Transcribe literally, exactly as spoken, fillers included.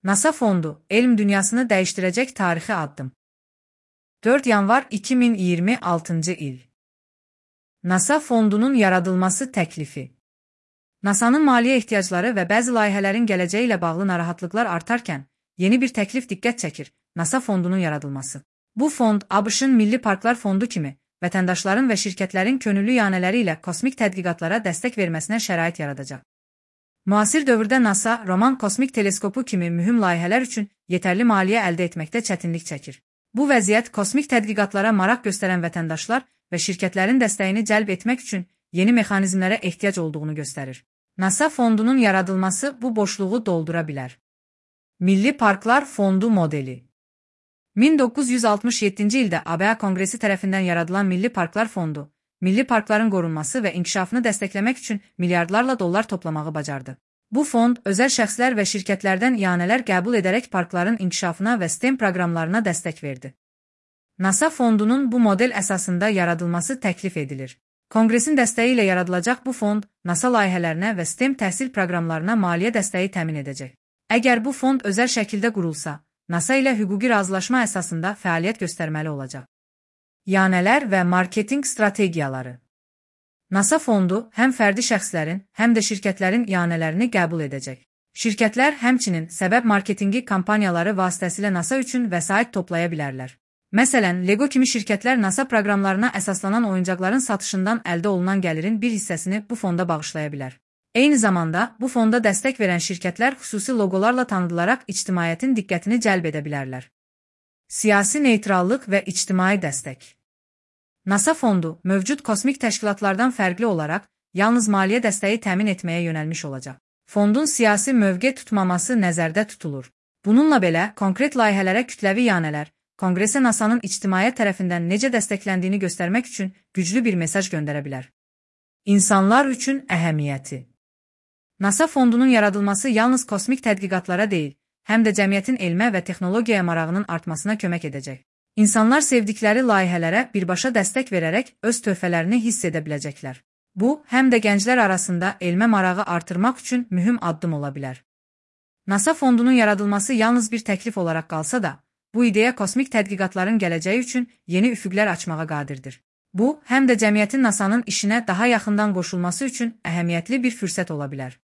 NASA fondu, elm dünyasını değiştirecek tarihi addım. dörd yanvar iki min iyirmi altıncı il. NASA fondunun yaradılması təklifi. NASA'nın maliyyə ehtiyacları və bəzi layihələrin gələcəyi ilə bağlı narahatlıqlar artarkən, yeni bir təklif diqqət çəkir, NASA fondunun yaradılması. Bu fond, ABŞ-ın Milli Parklar Fondu kimi, vətəndaşların və şirkətlərin könüllü yanələri ilə kosmik tədqiqatlara dəstək verməsinə şərait yaradacaq. Müasir dövrdə NASA, Roman kosmik teleskopu kimi mühüm layihələr üçün yetərli maliyyə əldə etməkdə çətinlik çəkir. Bu vəziyyət kosmik tədqiqatlara maraq göstərən vətəndaşlar və şirkətlərin dəstəyini cəlb etmək üçün yeni mexanizmlərə ehtiyac olduğunu göstərir. NASA fondunun yaradılması bu boşluğu doldura bilər. Milli Parklar Fondu modeli. min doqquz yüz altmış yeddinci ildə A B A Konqresi tərəfindən yaradılan Milli Parklar Fondu, milli parkların qorunması və inkişafını dəstəkləmək üçün milyardlarla dollar toplamağı bacardı. Bu fond, özəl şəxslər və şirkətlərdən ianələr qəbul edərək parkların inkişafına və STEM proqramlarına dəstək verdi. NASA fondunun bu model əsasında yaradılması təklif edilir. Konqresin dəstəyi ilə yaradılacaq bu fond, NASA layihələrinə və STEM təhsil proqramlarına maliyyə dəstəyi təmin edəcək. Əgər bu fond özəl şəkildə qurulsa, NASA ilə hüquqi razılaşma əsasında fəaliyyət göstərməli olacaq. Yanələr və marketinq strategiyaları. NASA fondu həm fərdi şəxslərin, həm də şirkətlərin yanələrini qəbul edəcək. Şirkətlər həmçinin səbəb marketinqi kampaniyaları vasitəsilə NASA üçün vəsait toplaya bilərlər. Məsələn, Lego kimi şirkətlər NASA proqramlarına əsaslanan oyuncaqların satışından əldə olunan gəlirin bir hissəsini bu fonda bağışlaya bilər. Eyni zamanda, bu fonda dəstək verən şirkətlər xüsusi loqolarla tanıdılaraq ictimaiyyətin diqqətini cəlb edə bilərlər. Siyasi neytrallıq və ictimai dəstək. NASA fondu, mövcud kosmik təşkilatlardan fərqli olaraq, yalnız maliyyə dəstəyi təmin etməyə yönəlmiş olacaq. Fondun siyasi mövqe tutmaması nəzərdə tutulur. Bununla belə, konkret layihələrə kütləvi yanələr, Konqresə NASA'nın ictimaiyyət tərəfindən necə dəstəkləndiyini göstərmək üçün güclü bir mesaj göndərə bilər. İnsanlar üçün əhəmiyyəti. NASA fondunun yaradılması yalnız kosmik tədqiqatlara deyil, həm də cəmiyyətin elmə və texnologiyaya marağının artmasına kömək edəcək. İnsanlar sevdikləri layihələrə birbaşa dəstək verərək öz töhfələrini hiss edə biləcəklər. Bu, həm də gənclər arasında elmə marağı artırmaq üçün mühüm addım ola bilər. NASA fondunun yaradılması yalnız bir təklif olaraq qalsa da, bu ideya kosmik tədqiqatların gələcəyi üçün yeni üfüqlər açmağa qadirdir. Bu, həm də cəmiyyətin NASA'nın işinə daha yaxından qoşulması üçün əhəmiyyətli bir fürsət ola bilər.